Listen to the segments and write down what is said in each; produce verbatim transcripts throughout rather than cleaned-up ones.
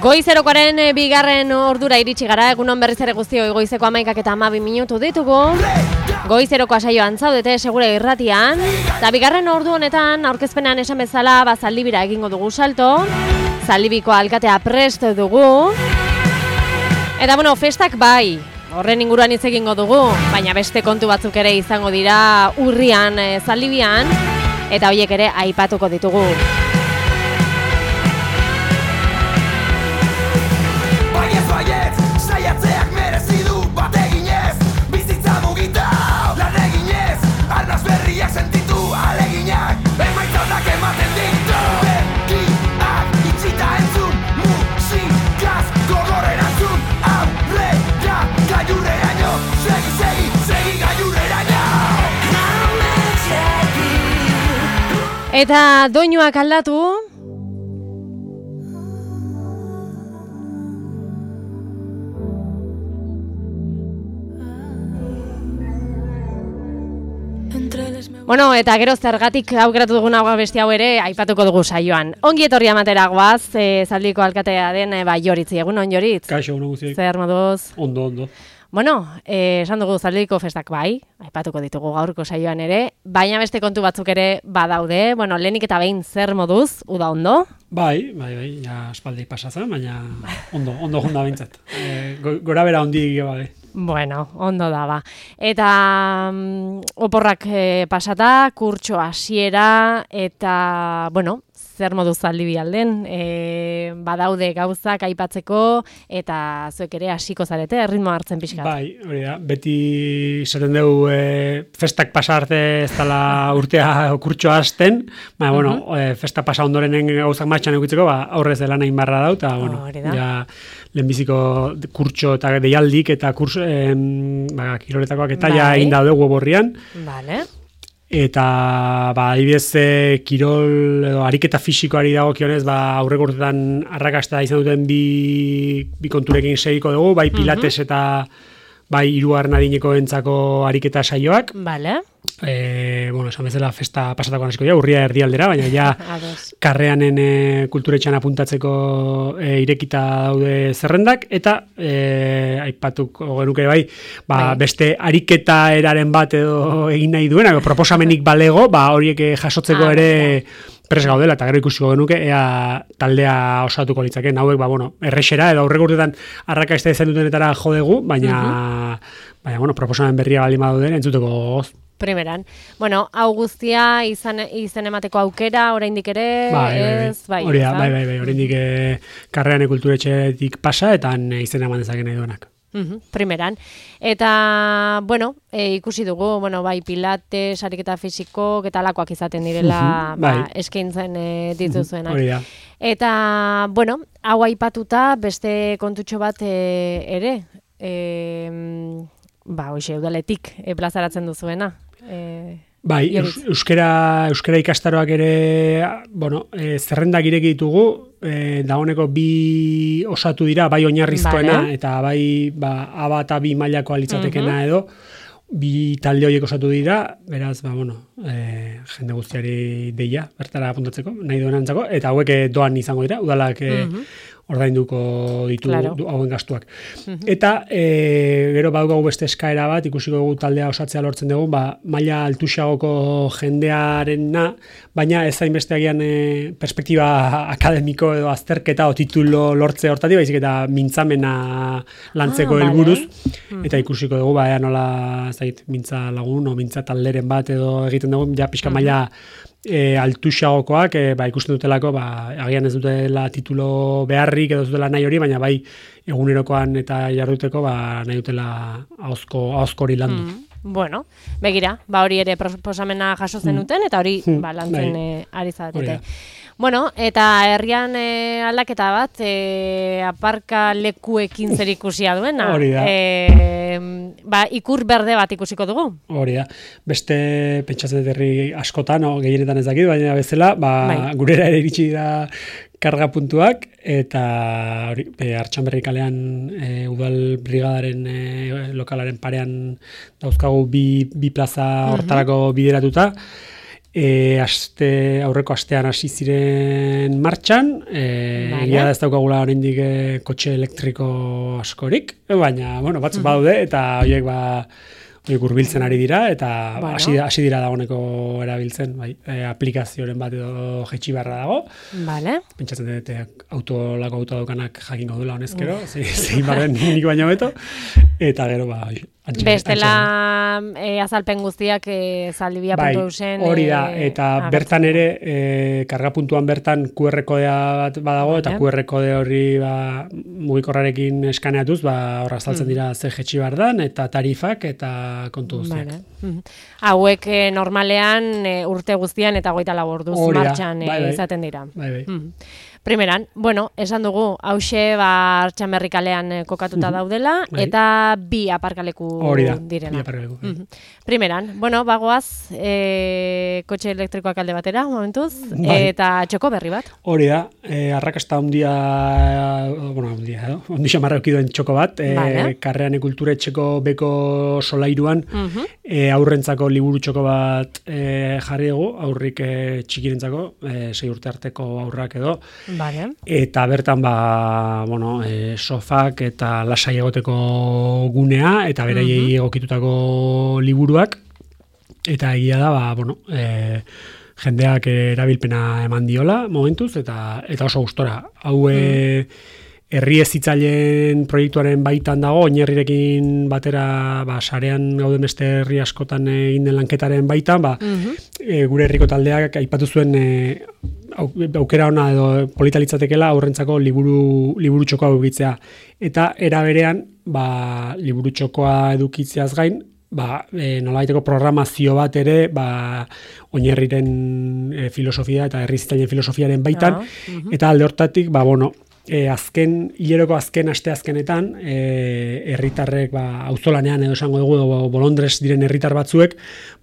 Goizerokoaren bigarren ordura iritsi gara, egunon berriz ere guztioi goizeko hamaikak eta hamabi minutu ditugu. Goizeroko saioan zaudete segure irratian. Eta bigarren ordu honetan, aurkezpenean esan bezala, ba, Zaldibira egingo dugu salto. Zaldibiko alkatea prest dugu. Eta bueno, festak bai, horren inguruan hitz egingo dugu, baina beste kontu batzuk ere izango dira urrian e, Zaldibian, eta horiek ere aipatuko ditugu. Eta doinuak aldatu. Bueno, eta gero zergatik aukeratu dugun hau beste hau ere aipatuko dugu saioan. Ongi etorri amatera goaz, e, Zaldiko alkatea den e, ba, Joritzi, egunon Joritz. Kaixo, egunon guztiak. Zer moduz? Ondo, ondo. Bueno, eh, esan dugu Zaldiko festak bai, aipatuko ditugu gaurko saioan ere, baina beste kontu batzuk ere badaude. Bueno, lehenik eta behin zer moduz, uda ondo? Bai, bai, bai, ja espaldi pasatzen, baina ondo, ondo junda bintzat. E, gora bera ondi bai. Bueno, ondo da ba. Eta um, oporrak eh, pasata, kurtso hasiera eta, bueno, zer modu Zaldibi alden, e, badaude gauzak aipatzeko eta zuek ere hasiko zarete erritmo hartzen pixkat. Bai, hori da, beti izaten dugu e, festak pasa arte ez dela urtea kurtsoa hasten, baina, bueno, uh -huh. e, festa pasa ondorenen gauzak martxan eukitzeko, ba, aurrez dela nahi barra dau, eta, bueno, oh, ja, lehenbiziko kurtso eta deialdik eta kurso, e, ba, kiroletakoak eta bai. Ja egin daude borrian. Vale. Eta ba adibidez kirol edo ariketa fisikoari dagokionez ba aurreko urteetan arrakasta izan duten bi bi konturekin segiko dugu, bai pilates uh-huh. eta bai hirugarren adinekoentzako ariketa saioak. Vale. Eh, bueno, esan bezala festa pasatako hasiko ja, urria erdialdera, baina ja karreanen e, kulturetxan apuntatzeko e, irekita daude zerrendak eta e, aipatuko genuke bai, ba, bai, beste ariketa eraren bat edo egin nahi duena, proposamenik balego, ba horiek jasotzeko ah, ere prest gaudela, eta gero ikusiko genuke ea taldea osatuko litzaken, hauek ba bueno, errexera edo aurreko urteetan arrakasta izan dutenetara jo dugu, baina uh-huh. baina bueno, proposamen berria baldin baduten entzuteko goz. Primeran. Bueno, hau guztia izan izen emateko aukera, oraindik ere, bai, ez, bai, bai, bai, bai, bai, bai, oraindik e, karrean kulturetxetik pasa, eta izen eman dezaken nahi duenak. Uh-huh, primeran. Eta, bueno, e, ikusi dugu, bueno, bai, pilates, ariketa fisiko, getalakoak izaten direla, uh-huh, bai. ba, eskaintzen e, dituzuenak. Hori da. Eta, bueno, hau aipatuta, beste kontutxo bat e, ere, e, ba, hoxe, udaletik e, plazaratzen duzuena. E, bai, eus, euskera, euskera ikastaroak ere, bueno, e, zerrendak ireki ditugu, e, dagoeneko bi osatu dira, bai oinarrizkoena, vale. Eta bai ba, aba eta bi mailako alitzatekena uh-huh. edo, bi talde horiek osatu dira, beraz, ba, bueno, e, jende guztiari deia, bertara apuntatzeko, nahi duenantzako, eta hauek doan izango dira, udalak e, uh-huh. ordainduko ditu claro. hauen gastuak. Uh-huh. Eta e, gero badugu beste eskaera bat, ikusiko dugu taldea osatzea lortzen dugu, ba, maila altuxagoko jendearena, baina ez hainbeste agian e, perspektiba akademiko edo azterketa o titulo lortze hortatik, baizik eta mintzamena lantzeko ah, helburuz, vale. uh-huh. eta ikusiko dugu, ba, ea nola zait, mintza lagun o mintza talderen bat edo egiten dugu, ja pixka uh-huh. maila E, altuxagokoak, e, ba, ikusten dutelako, ba, agian ez dutela titulo beharrik edo dutela nahi hori, baina bai egunerokoan eta jarduteko ba, nahi dutela ahozko, ahozkori landu. Mm, bueno, begira, ba, hori ere proposamena jaso zenuten, eta hori mm, ba, lantzen bai. e, ari zaretete. Bueno, eta herrian e, aldaketa bat, e, aparka lekuekin zer ikusia duena. Hori da. E, ba, ikur berde bat ikusiko dugu. Hori da. Beste pentsatzen dut herri askotan, no, gehienetan ez dakit, baina bezala, ba, bai. Gurera ere iritsi da karga puntuak, eta hori, e, Artxanberri kalean e, udal brigadaren e, lokalaren parean dauzkagu bi, bi plaza hortarako uh-huh. bideratuta, E, aste, aurreko astean hasi ziren martxan, e, Vale. egia da ez daukagula oraindik e, kotxe elektriko askorik, baina, bueno, batzuk badaude, eta horiek ba, horiek hurbiltzen ari dira, eta Bueno. hasi hasi dira dagoeneko erabiltzen, bai, e, aplikazioren bat edo jetxi barra dago. Vale. Pentsatzen dut e, auto, lako auto daukanak jakingo duela honezkero, zein ze barren nik baino beto, eta gero, ba, antxe, Bestela e, azalpen guztiak e, zaldibia bai, puntu eusen. hori da, eta e, bertan ere, e, kargapuntuan bertan Q R kodea bat badago, eta Vale. Q R kode hori ba, mugikorrarekin eskaneatuz, ba, horra azaltzen dira ze jetxi behar dan, eta tarifak, eta kontu guztiak. Vale. Mhm. Hauek e, normalean e, urte guztian eta hogeita lau orduz Hori da, martxan e, bai, bai. izaten dira. Bai, bai. Mhm. Primeran, bueno, esan dugu, hause ba Artxamerri kalean eh, kokatuta daudela, Bai. eta bi aparkaleku Hori da, direla. bi aparkaleku, bai. Mhm. Primeran, bueno, bagoaz, e, kotxe elektrikoak alde batera, momentuz, Bai. eta txoko berri bat. Hori da, e, arrakasta handia, bueno, handia, edo, ondi xamarra duen txoko bat, e, Vale. Karrean kulturetxeko beko solairuan, Mhm. e, aurrentzako liburu txoko bat e, jarri dugu, aurrik e, txikirentzako, e, sei urte arteko aurrak edo, Vale. eta bertan ba, bueno, e, sofak eta lasai egoteko gunea, eta beraiei egokitutako liburuak, eta egia da, ba, bueno, e, jendeak erabilpena eman diola momentuz, eta eta oso gustora. Hau e, herri hezitzaileen proiektuaren baitan dago, oinarrirekin batera, ba, sarean gauden beste herri askotan egin den lanketaren baitan, ba, Mhm. e, gure herriko taldeak aipatu zuen e, au- aukera ona edo polita litzatekeela aurrentzako liburu liburu txokoa edukitzea. Eta era berean, ba, liburu txokoa edukitzeaz gain, ba, e, nolabaiteko programazio bat ere, ba, oinarriren e, filosofia eta herri hezitzaileen filosofiaren baitan, Ah, mhm. eta alde hortatik, ba, bueno, E, azken, hileroko azken aste azkenetan, e, herritarrek, ba, auzolanean edo esango dugu, edo bolondrez diren herritar batzuek,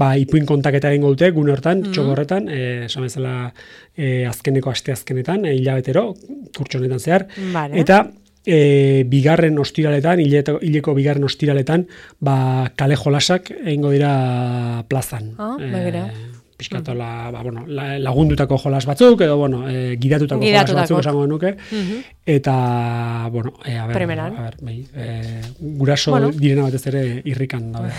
ba, ipuin kontaketa egingo dute, gune hortan, Mhm. txoko horretan, e, esan bezala e, azkeneko aste azkenetan, e, hilabetero, kurtso honetan zehar, Vale. eta e, bigarren ostiraletan, hileto- hileko bigarren ostiraletan, ba, kale jolasak egingo dira plazan. Ah, begira. Piskatola, ba, bueno, la- lagundutako jolas batzuk, edo, bueno, e, gidatutako jolas Gidatutako. batzuk esango nuke, Mhm. eta, bueno, e, a ber, Primeran. a ber, bai, e, guraso Bueno. direna batez ere irrikan daude.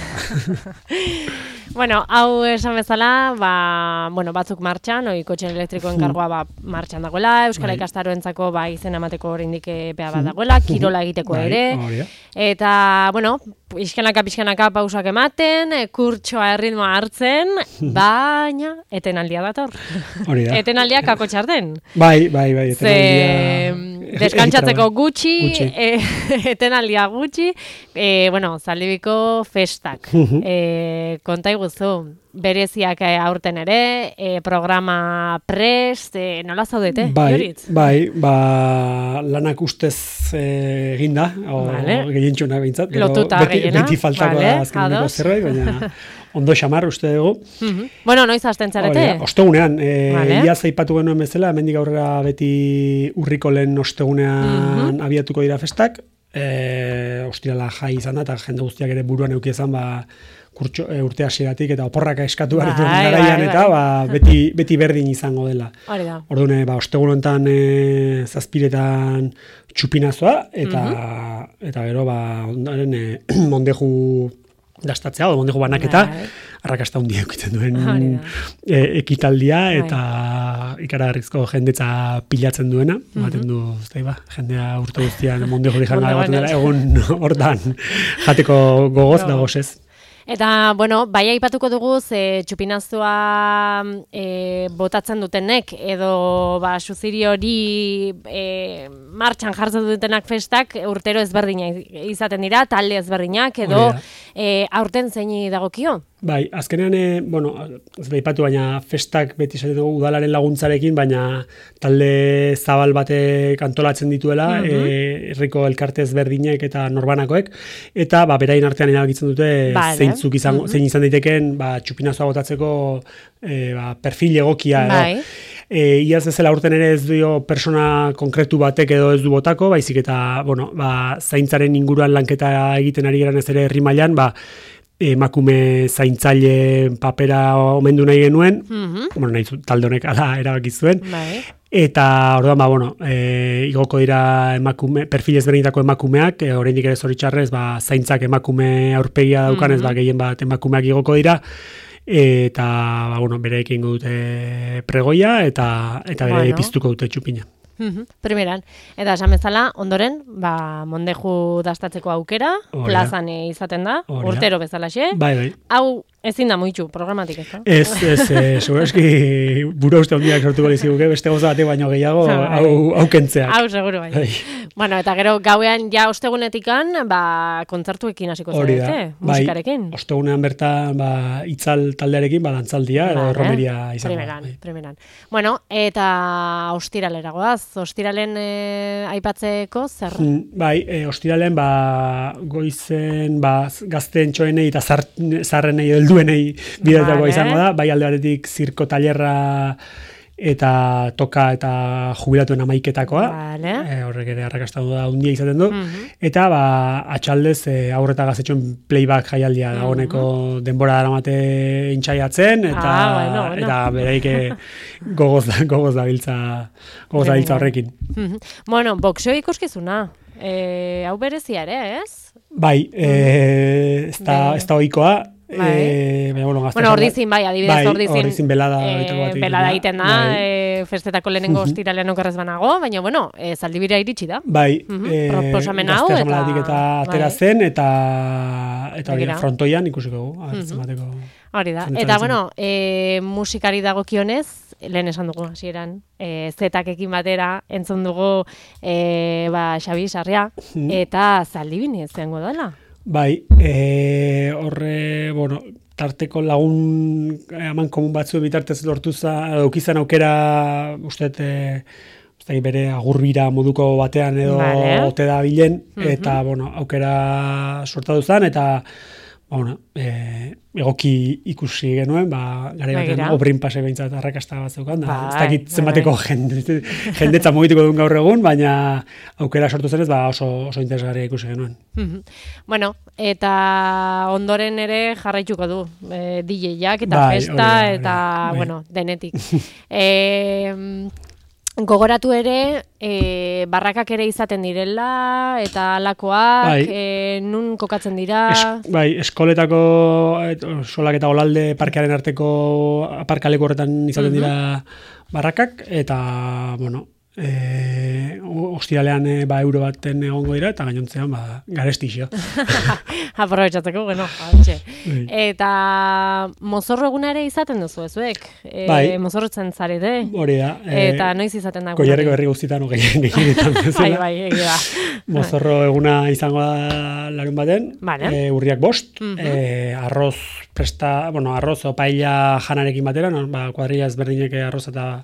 Bueno, hau esan bezala, ba, bueno, batzuk martxan, oi kotxe elektrikoen kargoa ba, martxan dagoela, Euskara Bai. ikastaroentzako ba, izen emateko oraindik epea bat dagoela, kirola egiteko Bai, ere, hori da. eta, bueno, pixkanaka pixkanaka pausak ematen, e, kurtsoa erritmoa hartzen, baina etenaldia dator. Hori da. Etenaldia kako txarten. Bai, bai, bai, Ze etenaldia- deskantzatzeko egitera, bai. gutxi, Gutxi. e, etenaldia gutxi, e, bueno, zaldibiko festak. Mhm. e, konta iguzu, bereziak eh, aurten ere, e, programa prest, e, nola zaudete, Bai, Joritz? bai, ba, lanak ustez eh, eginda, o Vale. gehientxuna behintzat, gero Lotuta beti, gehiena, beti faltako vale, da azkeneko ados. zerbait, baina ondo xamar uste dugu. Mhm. Bueno, noiz hasten Hori da, zarete? ostegunean, e, Vale. iaz aipatu genuen bezala, hemendik aurrera beti urriko lehen ostegunean Mhm. abiatuko dira festak, e, ostirala jai izan da, eta jende guztiak ere buruan eduki izan, ba, kurtxo, e, urte hasieratik eta oporraka eskatu behar dituen Bai, garaian, bai, eta bai. ba, beti, beti berdin izango dela. Hori da. Orduan, ba, ostegun honetan e, zazpiretan txupinazoa, eta, Mhm. eta gero, ba, ondaren e, mondeju dastatzea, o mondeju banaketa, Bai. arrakasta handia eukitzen duen Hori da. e, ekitaldia, Bai. eta ikaragarrizko jendetza pilatzen duena, ematen du, ez da, ba, jendea urte guztian mondeju dijan Mondejuan egoten dela, ez. egun hortan jateko gogoz Jo. da gozez. Eta, bueno, bai aipatuko dugu, ze txupinazua e, botatzen dutenek, edo ba, suziri hori e, martxan jartzen dutenak festak urtero ezberdina izaten dira, talde ezberdinak, edo Hori da. e, aurten zeini dagokio? Bai, azkenean, e, bueno, ez da ipatu, baina festak beti esaten dugu udalaren laguntzarekin, baina talde zabal batek antolatzen dituela, e, herriko elkarte ezberdinek eta norbanakoek, eta ba, berain artean erabakitzen dute Vale. zeintzuk izango, zein izan daiteken ba, txupinazoa botatzeko e, ba, perfil egokia edo. Bai. E, iaz bezala urten ere ez dio persona konkretu batek edo ez du botako, baizik eta, bueno, ba, zaintzaren inguruan lanketa egiten ari geran ez ere herri mailan, ba, emakume zaintzaile papera omendu nahi genuen, Mhm. bueno, nahi zu- talde honek ala erabaki zuen, Bai. eta orduan, ba, bueno, e, igoko dira emakume, perfil ezberdinetako emakumeak, e, oraindik ere zoritxarrez, ba, zaintzak emakume aurpegia daukanez, Mhm. ba, gehien bat emakumeak igoko dira, eta, ba, bueno, bereekin dute pregoia, eta, eta bere Bueno. piztuko dute txupina. Mhm, primeran. Eta esan bezala, ondoren, ba, mondeju dastatzeko aukera, Hori da. plazan eh, izaten da, Hori da. urtero bezalaxe. Bai, bai. Hau ezin da muitu programatik, ez da? Ez, ez, e, segurazki buru uste hondiak sortuko liziguke, beste goza batek baino gehiago, Bai. hau, hau kentzeak. Hau, seguru bai. Bai. Bueno, eta gero gauean ja ostegunetikan, ba, kontzertuekin hasiko Hori da, zarete, bai, musikarekin. ostegunean bertan, ba, itzal taldearekin, ba, dantzaldia, edo Vale. romeria izango da. Primeran, bai. primeran. Bueno, eta ostiralera goaz, ostiralen eh, aipatzeko zer? Mm, Bai, e, ostiralen, ba, goizen, ba, gazteen txoenei eta zar, zarrenei, helduenei bidetakoa Vale. izango da, bai alde batetik zirko tailerra eta toka eta jubilatuen amaiketakoa, Vale. e, horrek ere arrakasta da handia izaten du, Mhm. eta ba, atxaldez e, aurreta gaztetxoen playback jaialdia dagoeneko denbora daramate intxaiatzen, eta, Ah, bueno, bueno. eta bereik e, gogoz, da, gogoz dabiltza, gogoz dabiltza horrekin. Mhm. Bueno, boxeo ikuskizuna. Eh, hau berezia ere, ez? Bai, e, ez da, Bai. ez da ohikoa, Bai. e, baina, bueno, gazte Bueno, esan da- ordizin, bai, adibidez, bai, ordizin. ordizin belada eh, horietako bat egiten belada da. egiten da, Bai. eh, festetako lehenengo Mhm. ostiralean okerrez banago, baina, bueno, eh, zaldibira iritsi da. Bai, Mhm, e, proposamen hau, gazte eta- asambladatik eta atera bai. zen, eta eta hori, Begira. frontoian ikusiko dugu, a ber, Mhm. zenbateko. Hori da. Zenetara Eta, itzen. bueno, e, musikari dagokionez, lehen esan dugu hasieran, e, zetakekin batera entzun dugu e, ba, Xabi Sarria, Mhm. eta zaldibini izango dela. Bai, e, horre, bueno, tarteko lagun eman komun batzu bitartez lortu za, aukizan aukera, uste, e, uste, bere agurbira moduko batean edo Vale. ote da bilen, Mhm. eta, bueno, aukera sortatu zen, eta, ba, bueno, e, egoki ikusi genuen, ba, gara baten Begira. obrin pase behintzat arrakasta bat zeukan, da, Bai, ez dakit bai, zenbateko bai. jende, jendetza mugituko duen gaur egun, baina aukera sortu zenez, ba, oso, oso interesgarria ikusi genuen. Mhm. Bueno, eta ondoren ere jarraituko du e, D J-ak eta Bai, festa hori da, hori eta, da, bai. bueno, denetik. e, gogoratu ere, e, barrakak ere izaten direla, eta alakoak, Bai. e, nun kokatzen dira... Es, bai, eskoletako et, solak eta olalde parkearen arteko aparkaleko horretan izaten dira barrakak, eta, bueno, e, ostiralean e, ba, euro baten egongo dira, eta gainontzean ba, garestixo. Aprobetxatzeko, bueno, hantxe. Bai. Eta mozorro eguna ere izaten duzu ezuek. E, Bai. Mozorrotzen zarete. Hori da. e, Eta noiz izaten da? Goierreko herri guztietan no, gehien gehienetan Bai, bezala. bai, egia da. Mozorro eguna izango da larun baten, Vale. e, urriak bost, Mhm. e, arroz presta, bueno, arroz o paella janarekin batera, no? Ba, kuadrilla ezberdinek arroz eta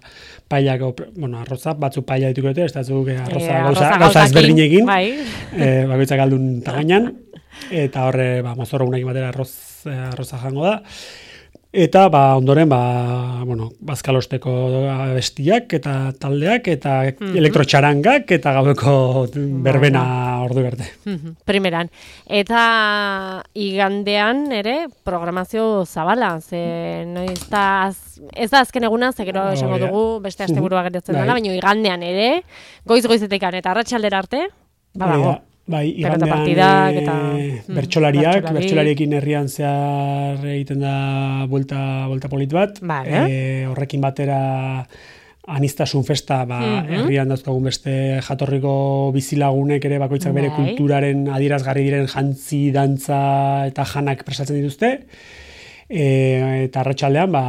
paellak, o, bueno, arroza, batzu paella dituko dute, ez da zuk arroza, E, gauza, arroza gauza gauzakin, ezberdinekin, Bai. e, bakoitzak aldun tamainan, eta horre, ba, mozorro egunekin batera arroz, e, arroza jango da. Eta, ba, ondoren, ba, bueno, bazkalosteko abestiak eta taldeak eta Mhm. elektrotxarangak eta gaueko berbena ordu berte. Mhm, primeran. Eta igandean ere programazio zabala, ze noiz da, az- ez da azken eguna, ze gero esango Hori da. dugu beste asteburua geratzen dela, Bai. baina igandean ere, goiz-goizetekan eta arratsaldera arte, ba, Hori da. dago. Bai, Pelota igandean partidak eta, eh, mm, bertsolariak, bertsolari. bertsolariekin herrian zehar egiten da buelta, buelta polit bat. Vale. Eh, horrekin batera anistasun festa, ba, Mhm. herrian dauzkagun beste jatorriko bizilagunek ere bakoitzak bere Bai. kulturaren adierazgarri diren jantzi, dantza eta janak prestatzen dituzte. E, eta arratsaldean ba,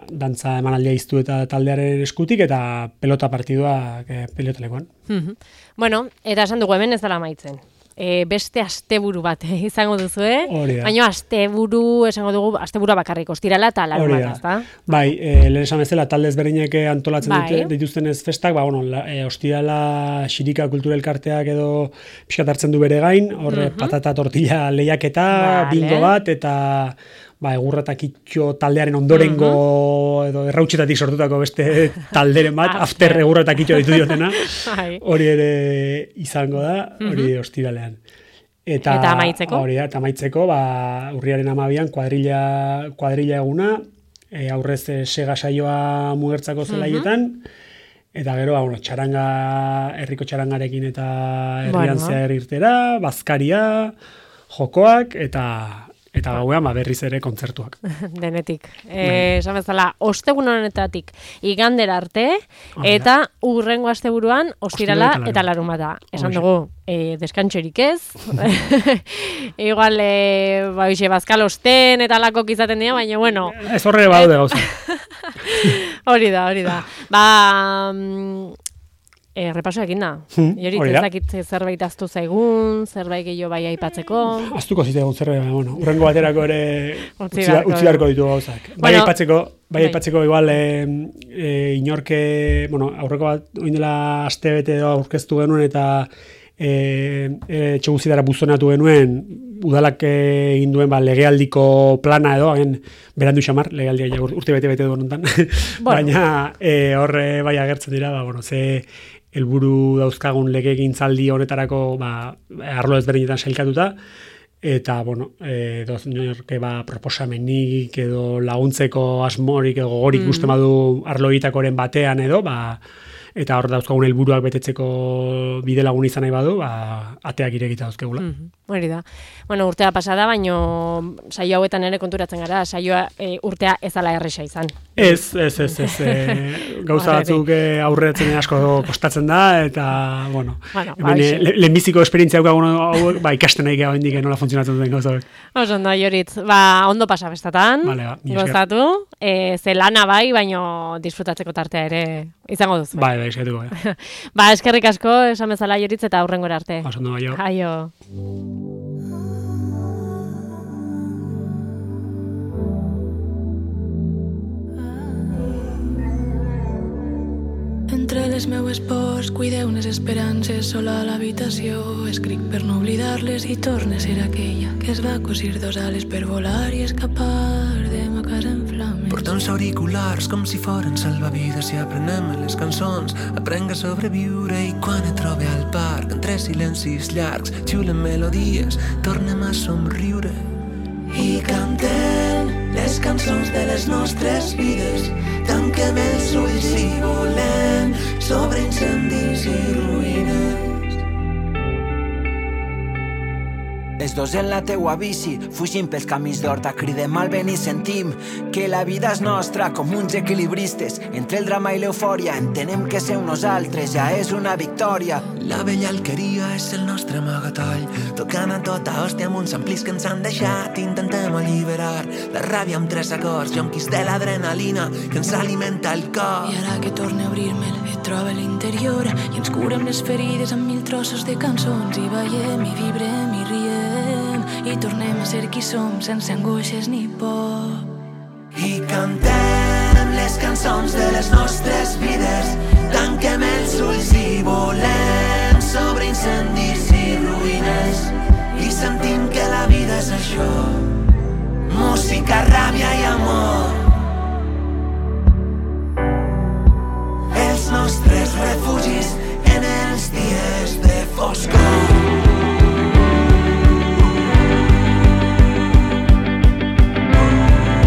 dantza emanaldia iztu eta taldearen eskutik eta pelota partidua e, pelotalekoan. Mhm. Bueno, eta esan dugu hemen ez dela amaitzen. E, beste asteburu bat eh, izango duzue, Hori da. baina asteburu, esango dugu, asteburua bakarrik, ostirala eta larun Hori bat, da. ezta? Bai, e, lehen esan bezala talde ezberdinek antolatzen Bai. dute, dituztenez festak, ba, bueno, la, e, ostirala xirika kulturelkarteak edo pixkat hartzen du bere gain, horre Mhm. patata tortilla lehiaketa, Vale. bingo bat, eta ba, egurra eta kitxo taldearen ondorengo edo errautxetatik sortutako beste talderen bat, After. after egurra eta kitxo ditu diotena, Bai. hori ere izango da, hori ostiralean. Eta, eta amaitzeko? Hori da, eta amaitzeko, ba, urriaren amabian kuadrilla, kuadrilla eguna, e, aurrez e, sega saioa mugertzako zelaietan, uh-huh. eta gero, ba, bueno, txaranga, herriko txarangarekin eta herrian bueno. Zer irtera, bazkaria, jokoak, eta... Eta gauean, ba, berriz ere kontzertuak. Denetik. Eh, esan bezala, ostegun honetatik igandera arte, eta urrengo asteburuan ostirala eta larunbata. Esan dugu, eh, deskantxorik ez. Igual, eh, ba, ixe, bazkal osten eta lakok izaten dira, baina, bueno. Ez horre baude gauza. Hori da, hori da. Ba... E, repaso ekin da. Hmm, Jorit, ezakit zerbait aztu zaigun, zerbait gehiago bai aipatzeko. Aztuko zitegun zerbait, bueno, urrengo baterako ere utzi beharko ditu gauzak. Bai bueno, aipatzeko, bai aipatzeko igual e, e, inorke, bueno, aurreko bat oindela aste bete edo aurkeztu genuen eta e, e, txoguzitara buzonatu genuen udalak egin duen ba, legealdiko plana edo, hagen berandu xamar, legealdia urte bete-bete duen honetan. Bueno. Baina e, horre bai agertzen dira, ba, bueno, ze helburu dauzkagun legegintzaldi honetarako ba, arlo ezberdinetan sailkatuta, eta, bueno, e, doz norke ba, proposamenik edo laguntzeko asmorik edo gogorik mm. uste badu arlo egitakoren batean edo, ba, eta hor dauzkagun helburuak betetzeko bide lagun izan nahi badu, ba, ateak irekita dauzkegula. Mm-hmm. Hori da. Bueno, urtea pasada, baino saio hauetan ere konturatzen gara, saioa e, urtea ez ala erresa izan. Ez, ez, ez, ez. E, gauza batzuk aurretzen asko kostatzen da, eta, bueno, bueno ba, lehenbiziko esperientzia hauek, ba, ikasten nahi geha hendik nola funtzionatzen duen gauza hauek. Oso, ondo, Joritz, ba, ondo pasa bestatan, vale, ba, gozatu, e, ze lana bai, baino disfrutatzeko tartea ere izango duzu. Bai, bai, eskertuko. Ja. Ba, eskerrik asko, esan bezala Joritz, eta aurrengora arte. Oso, ondo, aio. Aio. Entre les meues pors cuideu unes esperances sola a l'habitació. Escric per no oblidar-les i torna a ser aquella que es va cosir dos ales per volar i escapar de ma casa en flames. Porta uns auriculars com si foren salvavides i aprenem les cançons. Aprenc a sobreviure i quan et trobe al parc entre silencis llargs xiulen melodies, tornem a somriure i cantem les cançons de les nostres vides. Tanquem els ulls i volem sobre incendis i ruïnes. Els dos en la teua bici, fugim pels camins d'horta, cridem al vent i sentim que la vida és nostra com uns equilibristes. Entre el drama i l'eufòria entenem que ser nosaltres ja és una victòria. La vella alqueria és el nostre amagatall, tocant a tota hòstia amb uns amplis que ens han deixat. Intentem alliberar la ràbia amb tres acords, jonquis de l'adrenalina que ens alimenta el cor. I ara que torne a obrir-me'l et troba l'interior i ens curem les ferides amb mil trossos de cançons i ballem i vibrem i riem i tornem a ser qui som sense angoixes ni por. I cantem les cançons de les nostres vides, tanquem els ulls i volem sobre incendis i ruïnes i sentim que la vida és això. Música, ràdio